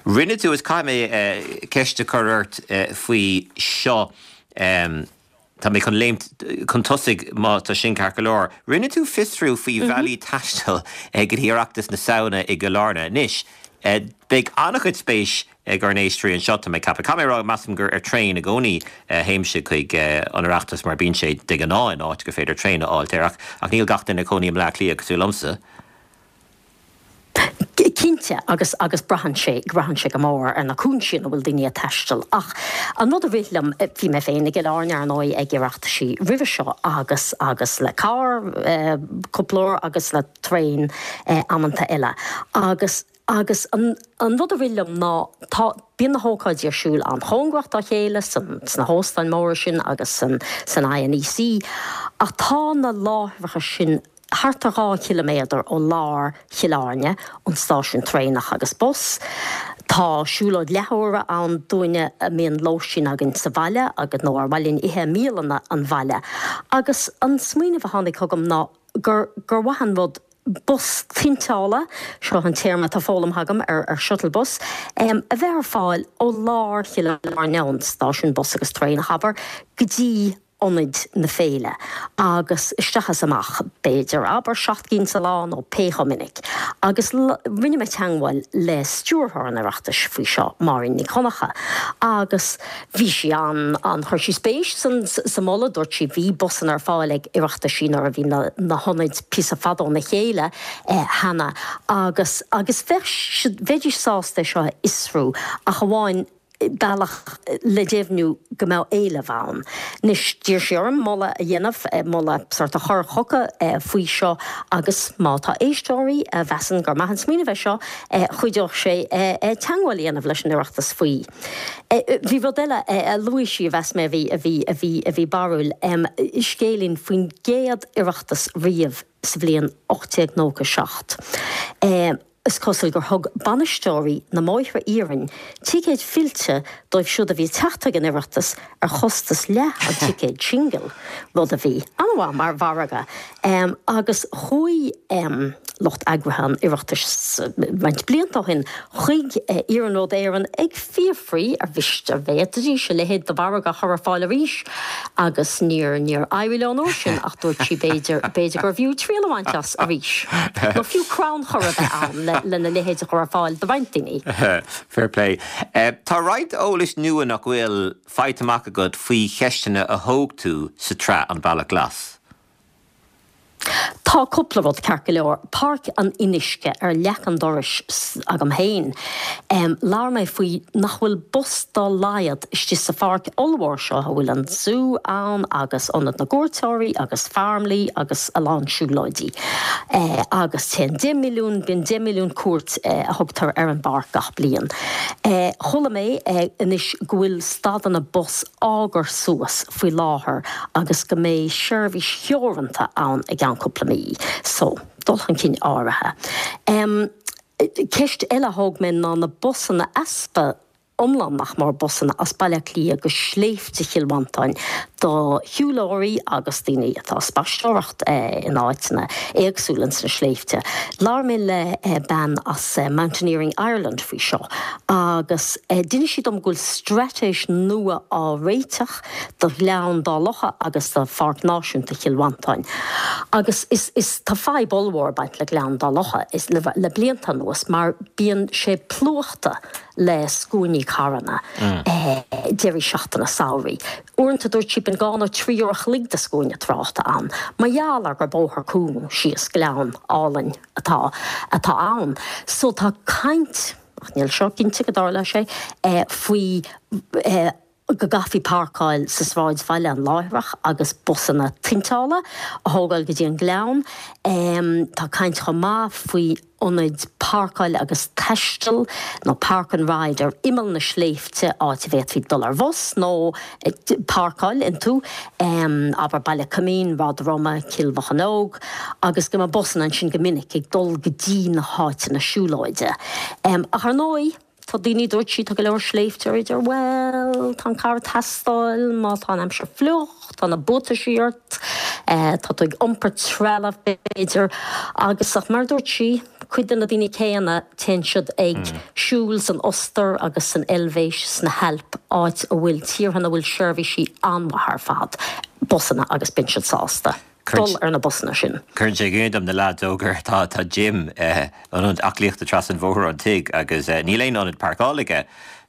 Rinne tú, is caithfidh mé ceist a chur ort faoi seo, tá mé chun léimt chun tosaigh má tá sin ceart go leor. Rinne tú fiosrú faoi bhealaí taistil go dtí Oireachtas na Samhna i gCill Airne. Anois, beidh an-chuid spéis ag ár n-éisteoirí anseo, tá mé ag ceapadh. Caithfidh mé a rá, measaim gur ar traein i gcónaí a théimse chuig an Oireachtas mar bíonn sé de ghnáth in áit gur féidir traein a fháilt air ach ach níl gach duine ag cónaí i mBleá Cliath cosúil liomsa. Cinnte, agus agus braitheann sé, braitheann sé go mór ar na cúinsí ina bhfuil daoine ag taisteal. Ach an rud a rith liom, bhí mé féin i gCill Airne, ar ndóigh, ag Oireachtaisí roimhe seo agus agus le carr cúpla uair agus le traein amanta eile agus, Agus an rud a rith liom ná, tá, bíonn na hócáidí ar siúl an-chóngarach dá chéile, san, sna hóstáin mhóra sin agus san, san INEC, ach tá na láithreacha sin thart ar 2 chiliméadar ó lár Chill Airne, ón stáisiún traenach agus bus. Tá siúlóid leathuaire ann dúinne a mbíonn lóistín againn sa bhaile agus, nó ar mhaith linn ithe i mbialanna an bhaile. Agus an smaoineamh a tháinig chugam ná gur, gur mhaith an rud, bus tointeála, seo an téarma atá foghlamtha agam ar shuttle bus, a bheith ar fáil ó lár Chill Airne, ón stáisiún bus agus traenach, abair, go dtí ionaid na féile agus isteach is amach, b'fhéidir, abair, 7 gcinn sa lá nó pé chomh minic. Agus rinne mé teagmháil le stiúrthóir an Oireachtais faoi seo, Máirín Nic Dhonncha, agus Bhí sí an, an, chuir sí spéis san, sa mholadh, dúirt sí, bhí busanna ar fáil ag Oireachtaisí nuair a bhí na, na hionaid píosa fada óna chéile cheana agus, agus bheadh siad, bheidís sásta é seo a fhiosrú ach amháin bealach le deimhniú go mbeadh éileamh ann. Anois, d'iarr sí orm moladh a dhéanamh, moladh sórt a chur chucu faoi seo agus má tá éisteoirí a mheasann gur maith an smaoineamh é seo, chuideodh sé teagmháil a dhéanamh leis an Oireachtas faoi. Bhí rud eile a luaigh sí a mheas mé a bhí, a bhí, a bhí, a bhí barrúil, scéilín faoin gcéad Oireachtas riamh sa bhliain 1897. Is cosúil gur thug bainisteoirí na mbóithre iarainn ticéid fillte dóibh siúd a bhí ag teacht chuig an Oireachtas ar chostas leath an ticéid singil, rud a bhí an-mhaith mar mhargadh. Agus chuaigh lucht eagraithe an Oireachtais roinnt blianta ó shin chuig Iarnród Éireann ag fiafraí ar mhiste, an bhféadfaidís a leithéid de mhargadh a chur ar fáil arís agus níor níor éirigh leo an uair sin ach dúirt sí b'fhéidir b'fhéidir gurbh fhiú triail a bhaint as arís nó fiú crannchur a bheith ann le lena leithéid a chur ar fáil do roinnt daoine. Fair play. Tá roinnt eolais nua nach bhfuil faighte amach agat faoi cheisteanna a thóg tú sa tsraith An Bealach Glas. Tá cúpla rud ceart go leor. Páirc an Fhionnuisce ar leac an dorais agam féin. Labhair mé faoi nach bhfuil bus dá laghad istigh sa pháirc ollmhór seo a bhfuil an zú ann agus ionad na gcuairteoirí agus Farmleigh agus a lán siúlóidí. Agus téann 10 milliún, bíonn 10 milliún cuairt a thugtar ar an bpáirc gach bliain. Chuala mé anois go bhfuil stadanna bus á gcur suas faoi láthair agus go mbeidh seirbhís theoranta ann i gceann cúpla mí. So, dul chun cinn áirithe. Em, ceist eile a thóg mé ná na busanna, easpa iomlán nach mór busanna as Baile Átha Cliath go sléibhte Chill Mhantáin do shiúlóirí agus daoine atá ag spaisteoireacht in áiteanna éagsúla ins na sléibhte. Labhair mé le bean as Mountaineering Ireland faoi seo agus d'inis sí dom go bhfuil straitéis nua á réiteach do Ghleann Dá Locha agus do Pháirc Náisiúnta Chill Mhantáin. Agus is, is, tá fadhb ollmhór ag baint le Gleann Dá Locha is, le, le blianta anuas mar bíonn sé plúchta le scuainí carranna deirí seachtaine samhraidh. Uaireanta dúirt sí bíonn 2 nó 3 uair a chloig de scuaine tráchta ann mar gheall ar gur bóthar cúng síos gleann álainn atá, atá ann. So tá caint, ach níl seo cinnte go dtarlóidh sé, faoi. Go gcaithfí páirceáil sa sráidbhaile an láithreach agus busanna tointeála a thógáil go dtí an Gleann. Tá caint chomh maith faoi ionaid páirceáil agus taistil nó park and ride ar imeall na sléibhte, áit a bhféadfaí dul ar bhus nó páirceáil iontu, abair Baile Coimín, Ráth Droma, Cill Mhocheallóg, agus go mbeadh busanna ansin go minic ag dul go dtí na háiteanna siúlóide. Ach ar ndóigh. Tá daoine, dúirt sí, tá go leor sléibhteoirí a deir, bhuel, tá an carr ag teastáil má tá an aimsir fliuch, tá na buataisí ort, tá tú ag iompar trealamh b'fhéidir, agus ach mar a dúirt sí, cuid de na daoine céanna, téann siad ag siúl san Ostair agus san Eilvéis, sna hAilp, áit a bhfuil tíortha ina bhfuil seirbhísí an-mhaith ar fad, busanna agus bíonn siad sásta. dul ar na busanna sin. Cuireann sé i gcuimhne dom na leaids óga, tá tá gym, ionad aclaíochta trasna an bhóthair ón tigh agus níl aon ionad páirceála aige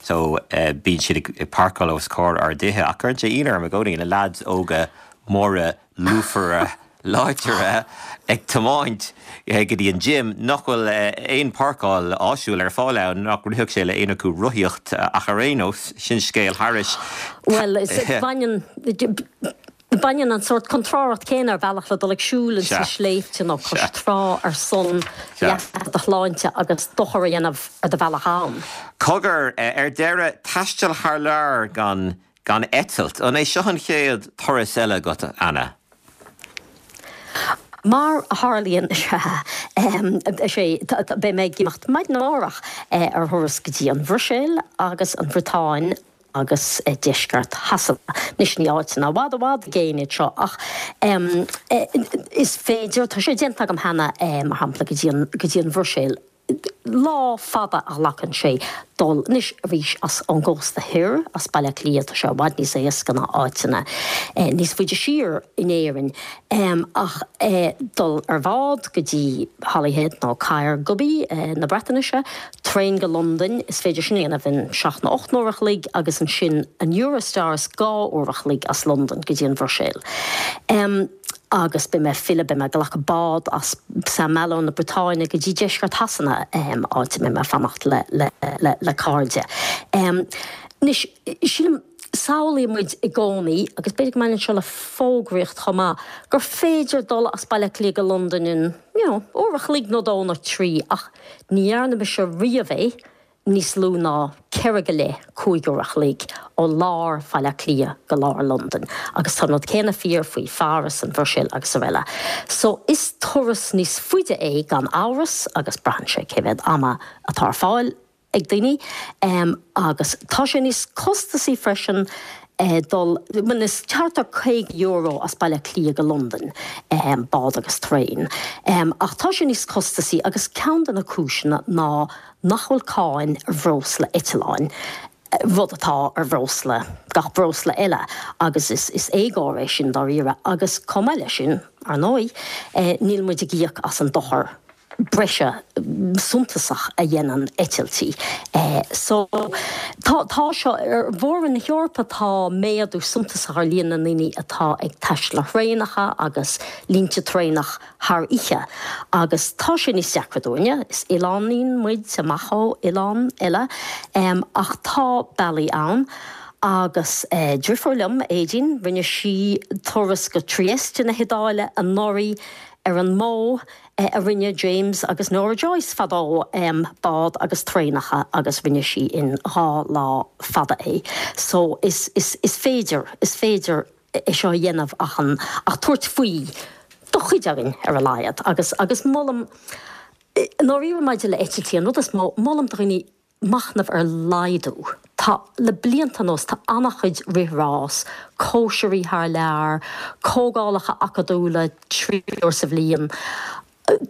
so bíonn siad ag páirceáil os comhair ár dtithe ach cuireann sé ionadh orm i gcónaí na leaids óga móra lúfara láidre ag tiomáint go dtí an gym nach bhfuil aon páirceáil áisiúil ar fáil ann, nach rithfeadh sé le aon acu rothaíocht ach ar aon nós sin scéal thairis. Bhuel, baineann. Baineann an sórt contrárthacht céanna ar bhealach le dul ag siúl ins na sléibhte nó cois trá ar son leasa do shláinte agus dochar a dhéanamh ar do bhealach ann. Cogar, ar deireadh, taisteal thar lear gan gan eitilt. An é seo an chéad turas eile agat, Anna? Mar a tharlaíonn, is ea. Beidh mé ag imeacht maidin amárach ar thuras go dtí an Bhruiséil agus an Bhriotáin agus deisceart Shasana. Anois ní áiteanna i bhfad i bhfad i gcéin iad seo ach is féidir, tá sé déanta agam cheana, mar shampla go dtí an, go dtí an Bhruiséil. Lá fada a ghlacann sé dul anois arís as ón gcósta thoir, as Baile Átha Cliath, tá sé i bhfad níos éasca ná áiteanna níos faide siar in Éirinn. Ach dul ar bhád go dtí Holyhead nó Caergybi na Breatnaise, Traein go Londain, is féidir sin a dhéanamh in seacht nó 8 n-uair a chloig agus ansin an Eurostar is 2 uair a chloig as Londain go dtí an Bhruiséil. Agus beidh mé ag filleadh, beidh mé ag glacadh bád as Saint Malo na Briotáine go dtí deisceart Shasana, áit a mbeidh mé ag fanacht le cairde. Anois, sílim, samhlaíonn muid i gcónaí, agus b'fhéidir go mbaineann seo le fógraíocht chomh maith, gur féidir dul as Baile Átha Cliath go Londain in, you know, uair a chloig nó dó nó trí ach ní dhearna mise riamh é níos lú ná ceithre go leith, 5 uair a chloig ó lár Bhaile Átha Cliath go lár Londain. Agus tá an rud céanna fíor faoi Pháras, an Bhruiséil agus araile. So is turas níos faide é gan amhras agus braitheann sé cé mhéad ama atá ar fáil ag daoine agus tá sé níos costasaí freisin dul, bhuel is thart ar €50 as Baile Átha Cliath go Londain, bád agus traein, ach tá sé níos costasaí agus ceann de na cúiseanna ná nach bhfuil cáin ar bhreosla eitleáin, rud atá ar bhreosla, gach breosla eile agus is éagóir é sin dáiríre agus chomh maith leis sin, ar ndóigh, níl muid ag íoc as an dochar breise suntasach a dhéanann eitiltí. So, tá, tá seo, ar Mhór-Roinn na hEorpa tá méadú suntasach ar líon na ndaoine atá ag taisteal ar thraenacha agus línte traenach thar oíche agus tá sé níos deacra dúinne, is oileáinín muid amach ó oileán eile, ach tá bealaí ann. Agus deirfiúr liom, Aedín, rinne sí turas go Trieste na hIodáile anuraidh ar an modh a rinne James agus Nora Joyce fadó, bád agus traenacha agus rinne sí in 2 lá fada é. So is, is, is féidir, is féidir é seo a dhéanamh ach an, ach tabhairt faoi do chuid againn ar a laghad agus, agus molaim, i ndáiríre maidir le eitiltí, an rud is mó, molaim do dhaoine machnamh ar laghdú. Tá, le blianta anuas, tá an-chuid rith-rás, cóisirí thar lear, comhdhálacha acadúla 3 uair sa bhliain,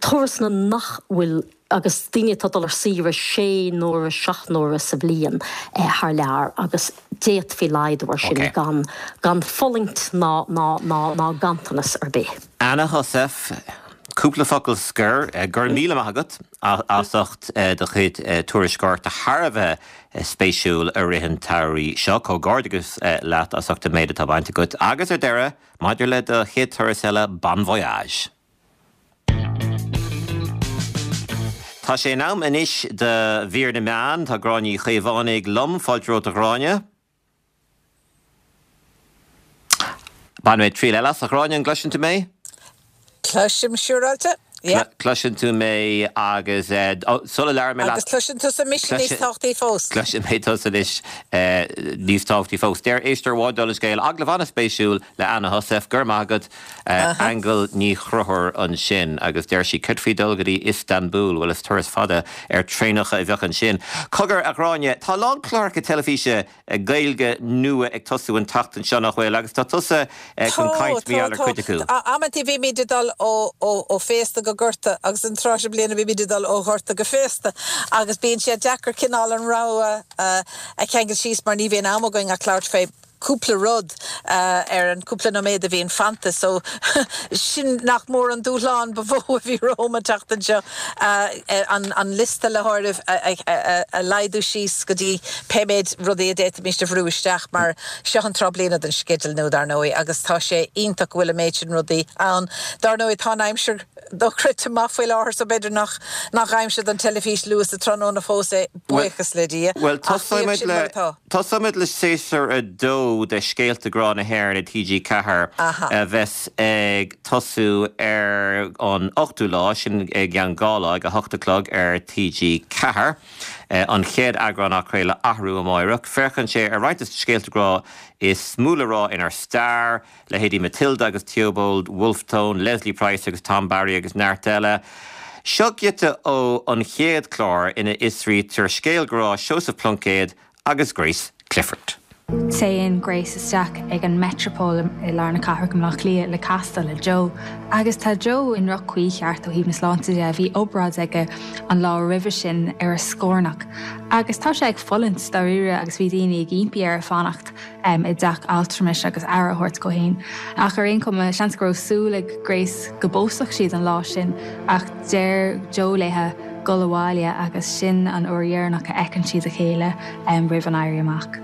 turasanna nach bhfuil, agus daoine atá ag dul ar saoire sé n-uaire, seacht n-uaire sa bhliain thar lear agus d'fhéadfaí laghdú ar sin gan, gan fulaingt ná, ná, ná, ná ganntanas ar bith. Anna Heussaff, cúpla focal scoir. Go raibh míle maith agat. as ucht do chuid tuairisceoireachta thar a bheith spéisiúil i rith an tsamhraidh seo. Comhghairdeachas leat as ucht an méid atá bainte agat agus ar deireadh, maidir le do chéad turas eile, bon voyage! Tá sé in am anois do mhír na meán. Tá Gráinne Uí Chaomhánaigh liom. Fáilte romhat a Ghráinne. Bainfidh mé triail eile as, a Ghráinne, an gcloiseann tú mé? Cloisim siúráilte, yeah. Cloiseann tú mé agus sula labhraíonn mé leat. Agus cloiseann tusa mise níos tábhachtaí fós. Cloiseann mé tusa anois níos tábhachtaí fós. Deir éisteoir amháin dála an scéil, agallamh an-spéisiúil le Anna Heussaff, go raibh maith agat, Aingeal Ní Chonchúir ansin agus deir sí, céard faoi dul go dtí Istanbul, bhuel is turas fada ar traenacha a bheadh ansin. Cogar, a Ghráinne, tá a lán cláracha teilifíse Gaeilge nua ag tosú an tseachtain seo, nach bhfuil? Agus tá tusa chun caint mar gheall ar chuid acu. Tá, tá. Amantaí bímid ag dul ó féasta go gorta agus an tráth seo bliana bímid ag dul ó ghorta go féasta agus bíonn sé deacair cineál an rogha a cheangal síos mar ní bhíonn am againn ach labhairt fé cúpla rud ar an cúpla nóiméad a bhíonn fanta so sin nach mór an dúshlán ba mhó a bhí romham an tseachtain seo, an liosta le háireamh a laghdú síos go dtí pé méid rudaí a d'fhéadfaimis a bhrú isteach mar seo an tráth bliana don sceideal nua dar ndóigh agus tá sé iontach go bhfuil an méid sin rudaí ann. Dar ndóigh tá an aimsir dochreidte maith faoi láthair so b'fhéidir nach nach aimsir don teilifís luath sa tráthnóna fós é, buíochas le Dia, Bhuel ach bíodh sin mar atá. Tosóimid le séasúr 2 de Scéalta Grá na hÉireann ar TG4 a bheas ag tosú ar an ochtú lá, sin i gceann 2 lá, ag a hocht a chlog ar TG4. An chéad eagrán á chraoladh arú amáireach. Féachann sé ar roinnt de na scéalta grá is mó le rá inár stair, leithéidí Matilda agus Theobald Wolfe Tone, Leslie Price agus Tom Barry agus neart eile. Seo giota ó an chéad chlár ina fhiosraítear scéal grá Seosamh Pluincéad agus Grace Clifford. Téann Grace isteach ag an Metropole i lár na cathrach i mBleá Cliath le castáil le Joe. Agus tá Joe i ndroch-chaoi cheart ó thaobh na sláinte de. Bhí obráid aige an lá roimhe sin ar a scornach. Agus tá sé ag fulaingt dáiríre agus bhí daoine ag impí air fanacht i dteach altramais agus aire a thabhairt dhó féin. Ach ar aon chuma, seans go raibh súil ag Grace go bpósfadh siad an lá sin ach deir Joe léithe dul abhaile agus sin an uair dheireanach a fheiceann siad a chéile roimh an Éirí Amach.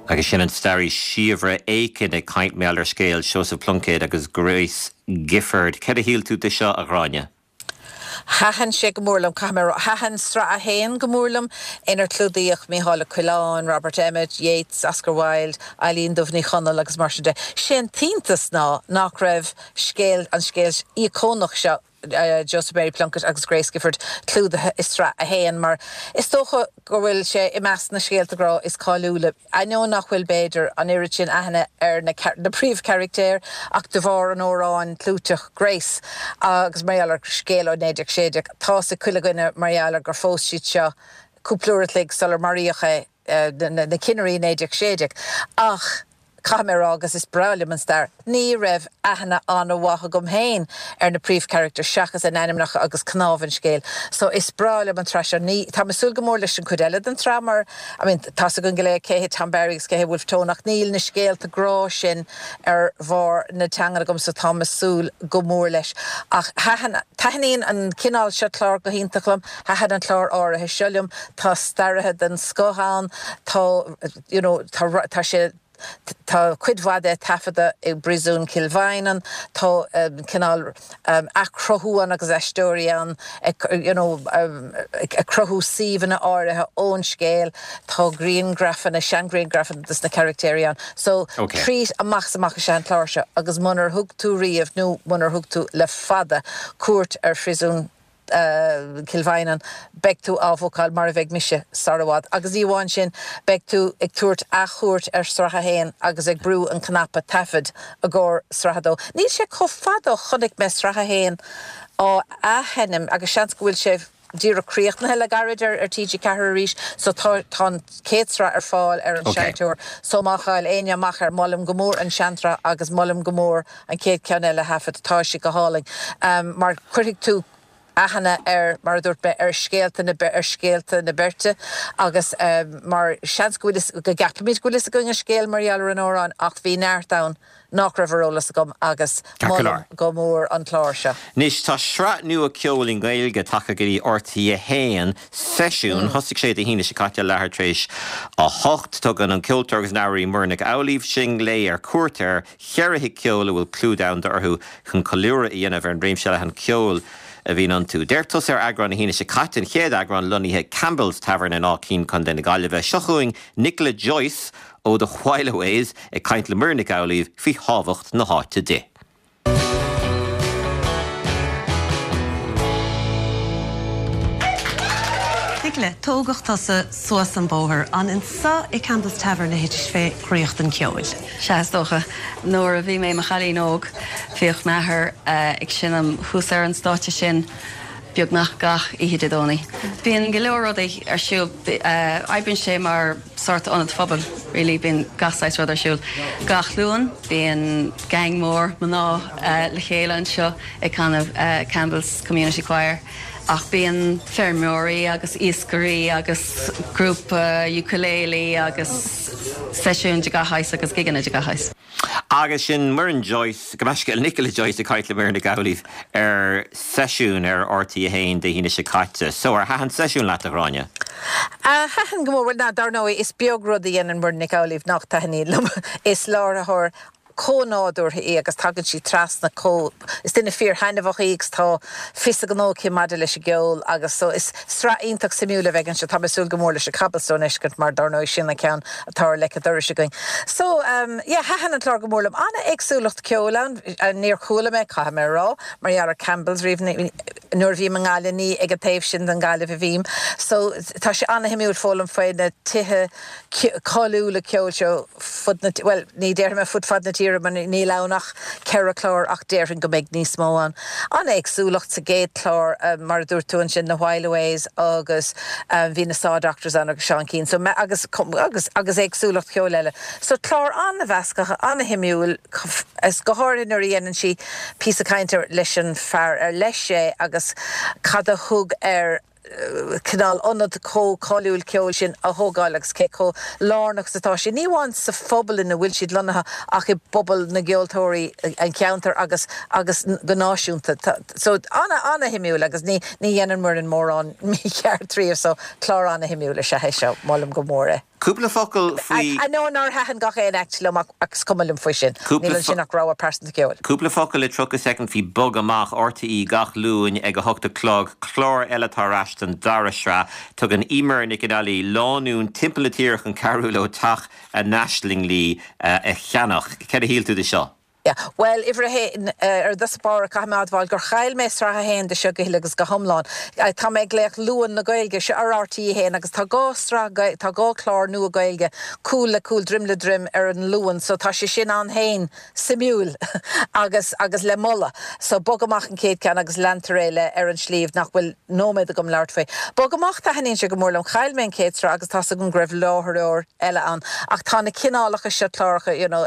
Agus sin an staraí Síobhra Aiken ag caint mar gheall ar scéal Seosamh Pluincéad agus Grace Gifford. Céard a shíl tú de seo, a Ghráinne? Thaitin sé go mór liom, caithfidh mé a rá. Thaitin sraith a haon go mór liom, inar clúdaíodh Mícheál Ó Coileáin, Robert Emmet, Yeats, Oscar Wilde, Eilín Dubh Ní Chonaill agus mar sin de. Sé an t-iontas ná nach raibh scéal, an scéal íocónach seo, Joseph Mary Plunkett agus Grace Gifford clúdaithe i sraith a haon mar is dócha go bhfuil sé i measc na scéalta grá is cáiliúla, ainneoin nach bhfuil, b'fhéidir, an oiread sin aithne ar na na príomhcharachtair ach de bharr an amhráin clúiteach Grace agus mar gheall ar scéal ó 1916, tá's ag chuile dhuine mar gheall ar gur phós siad seo cúpla uair a chloig sular maraíodh é. na cinnirí i 1916. Ach caithfidh mé a rá, agus is breá liom an stair, ní raibh aithne an-mhaith agam féin ar na príomhcharachtair seachas a n-ainmneacha agus cnámh an scéil. So is breá liom an tsraith seo. Ní, táim ag súil go mór leis an chuid eile den tsraith mar, I mean, tá's againn go léir cé hé Tom Barry agus cé hé Wolfe Tone ach níl na scéalta grá sin ar bharr na teangan agam so táim ag súil go mór leis. Ach thaitin, taitníonn an cineál seo clár go hiontach liom. Thaitin an clár áirithe seo liom. Tá staraithe den scoth ann, tá you know tá tá sé tá cuid mhaith de taifeadta i bPríosún Chill Mhaighneann, tá cineál athchruthú ann agus aisteoirí ann ag you know ag cruthú suíomhanna áirithe ón scéal, tá grianghrafanna, seanghrianghrafanna dos na caractéirí ann. So treat amach is amach is ea an clár seo agus munar thug tú riamh nó munar thug tú le fada cuairt ar Phríosún Cill Mhaighneann, beidh tú á bhookáil, mar a bheidh mise, sar i bhfad. Agus ní amháin sin, beidh tú ag tabhairt athchuairt ar Sraith 1 agus ag brú an cnaipe taifead i gcomhair Sraith 2. Níl sé chomh fada ó chonaic mé Sraith 1 á athsheinm agus seans go bhfuil sé díreach críochnaithe le gairid ar TG4 arís so tá tá an chéad sraith ar fáil ar an seinnteoir so má chaill éinne amach air molaim go mór an seansraith agus molaim go mór an chéad cheann eile a thaifead. Tá sé go hálainn mar cuirfidh tú aithne ar, mar a dúirt mé, ar scéalta na, ar scéalta na beirte agus mar seans go bhfuil fhios, go gceapaimid go bhfuil fhios againn an scéal mar gheall ar an amhrán ach bhí neart ann nach raibh ar eolas agam agus molaim go mór an clár seo. Anois tá sraith nua ceoil i nGaeilge tagtha go dtí RTÉ 1, Seisiún. Thosaigh sé Dé hAoine seo caite, leathuair tar éis a hocht. Tugann an ceoltóir agus an amhránaí Muireann Nic Amhlaoibh sinn léi ar cuairt ar cheithre thigh ceoil a bhfuil clú domhanda orthu chun ceiliúradh a dhéanamh ar an réimse leathan ceoil. a bhíonn iontu. D'amharc tusa ar eagrán na hAoine seo caite, an chéad eagrán lonnaithe Campbell's Tavern in Áth Cinn, Contae na Gaillimhe. Seo chugainn Nicola Joyce ó The Whileaways ag caint le Muireann Nic Amhlaoibh faoi thábhacht na háite di. Nicola, tógadh tusa suas an bóthar. An anso i Campbell's Tavern a thitis fé dhraíocht an cheoil? Sea, is dócha. Nuair a bhí mé i mo chailín óg, bhíodh m'athair ag seinm thuas ar an stáitse sin beagnach gach oíche Dé Domhnaigh. Bíonn go leor rudaí ar siúl. Oibríonn sé mar sórt ionad phobail, really. Bíonn gach saghas rud ar siúl. Gach Luan, bíonn gang mór mná le chéile anseo ag canadh Campbell's Community Choir. Ach bíonn feirmeoirí agus iascairí agus grúpa ukulele agus seisiúin de gach shaghas agus gigeanna de gach shaghas. Agus sin Muireann Joyce, gabh mo leithscéal, Nicola Joyce ag caint le Muireann Nic Amhlaoibh ar Seisiún ar RTÉ 1 Dé hAoine seo caite. So, ar thaitin Seisiún leat, a Ghráinne? Thaitin go mór. Bhuel, dar ndóigh, is beag rud a dhéanann Muireann Nic Amhlaoibh nach dtaitníonn liom. Is láithreoir chomh nádúrtha í agus tagann sí trasna chomh, is duine fíor-thaitneamhach í agus tá fios a gnó aici maidir leis an gceol agus so is sraith iontach suimiúil a bheidh anseo. Tá mé ag súil go mór leis an Cobblestone a fheiscint mar dar ndóigh sin an ceann atá ar leic an dorais againn. So yeah, thaitin an clár go mór liom. An-éagsúlacht ceoil ann, níor chuala mé, caithfidh mé a rá, mar gheall ar Campbell's riamh, nuair a bhím i nGaillimh ní ag an taobh sin den Ghaillimh a bhím. So tá sé an-shuimiúil foghlaim faoi na tithe cáiliúla ceoil seo fud na, bhuel, ní déarfaidh mé fud fad na tíre mar níl ann ach 4 chlár ach déarfainn go mbeidh níos mó ann. An-éagsúlacht sa gcéad chlár, mar a dúirt tú ansin, na Whileaways agus bhí na Saw Doctors ann agus Seán Keane so agus agus agus éagsúlacht cheoil eile. So clár an-mheasctha, an-shuimiúil, is go háirithe nuair a dhéanann sí píosa cainte leis an fear ar leis é agus cad a thug air cineál ionad chomh cáiliúil ceoil sin a thógáil agus cé chomh lárnach is atá sé, ní amháin sa phobal ina bhfuil siad lonnaithe ach i bpobal na gceoltóirí an cheantair agus agus go náisiúnta. So ana-ana-shuimiúil agus ní ní dhéanann Muireann mórán mícheart riamh so clár ana-shuimiúil is ea é seo, molaim go mór é. Cúpla focal faoi. Ainneoin nár thaitin gach aon act liom ach is cuma liom faoi sin. Níl ansin ach rogha pearsanta ceoil. Cúpla focal i 30 soicind faoi Bog Amach, RTÉ gach Luan ag 8 a chlog, clár eile atá ar ais don dara sraith. Tugann Eimear Nic Con Ailí lánúin timpeall na tíre chun cabhrú leo teach a n-aislingí a cheannach. Céard a shíl tú de seo? Yeah. Bhuel, uimhir a haon, ar dtús báire, caithfidh mé a admháil gur chaill mé sraith a haon de seo go huile agus go hiomlán. Tá mé ag glaoch Luan na Gaeilge, seo ar RTÉ 1 agus tá 2 sraith, tá 2 chlár nua Gaeilge, cúl le cúl, droim le droim ar an Luan, so tá sé sin ann féin suimiúil agus, agus le moladh. So Bog Amach an chéad ceann agus leantar é le Ar an Sliabh nach bhfuil nóiméad agam labhairt faoi. Bog Amach, taitníonn sé go mór liom. Chaill mé an chéad sraith agus tá's agam go raibh láithreoir eile ann ach tá na cineálacha seo cláracha, you know,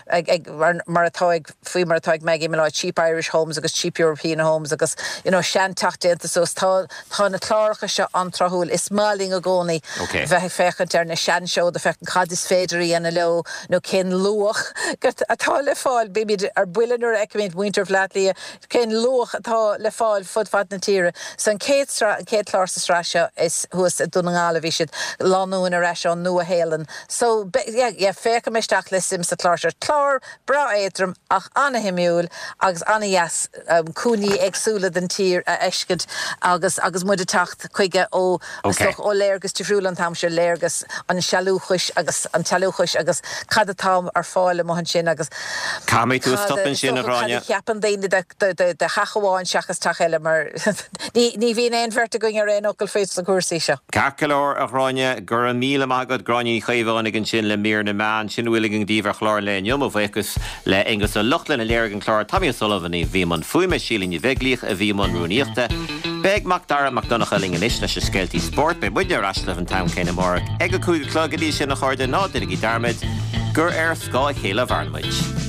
ag, ag, mar atá ag, faoi mar atá ag Maggie Molloy, Cheap Irish Homes agus Cheap European Homes agus, you know, seanteach déanta suas. Tá, tá na cláracha seo an-tráthúil. Is maith linn i gcónaí bheith ag féachaint ar na seanseoda, féachaint cad is féidir a dhéanamh leo nó cén luach atá le fáil. Bímid ar buile nuair a fheicimid muintir Bhaile Átha Cliath, cén luach atá le fáil fud fad na tíre. So an chéad sraith, an chéad chlár sa sraith seo is thuas i Dún na nGall a bhí siad, lánúin ar ais ón Nua-Shéalainn. So, yeah, yeah, féachfaidh mé isteach le suim sa chlár seo. Clár breá éadrom ach ana-shuimiúil agus ana-dheas cúinní éagsúla den tír a fheiscint agus agus muid ag teacht chuige ó, is dócha, ó léargas difriúil an t-am seo, léargas an sealúchais agus an tsealúchais agus cad atá ar fáil amuigh ansin agus Caithfidh mé tú a cad stop ansin, a dócha, cad a Ghráinne. cheapann daoine de de de theach amháin seachas teach eile mar ní ní bhíonn aon bheirt againn ar aon fhocal faoi sna cúrsaí seo. Ceart go leor, a Ghráinne. Go raibh míle maith agat. Gráinne Ní Chaomhánaigh ansin le mír na meán. Sin a bhfuil againn daoibh ar chlár an lae inniu. Mo bhuíochas le Aonghus Ó Lochlainn a léirigh an clár, Tommy O'Sullivan a bhí i mbun fuaime, Síle Ní Bheaglaoich a bhí i mbun rúnaíochta. Beidh Mac Dara Mac Donncha linn anois leis na scéaltaí spóirt. Beidh muidne ar ais libh an t-am céanna amárach ag a 5 a chlog. Go dtí sin, a chairde, ná déanaigí dearmad gur ar scáth a chéile a mhaireann muid.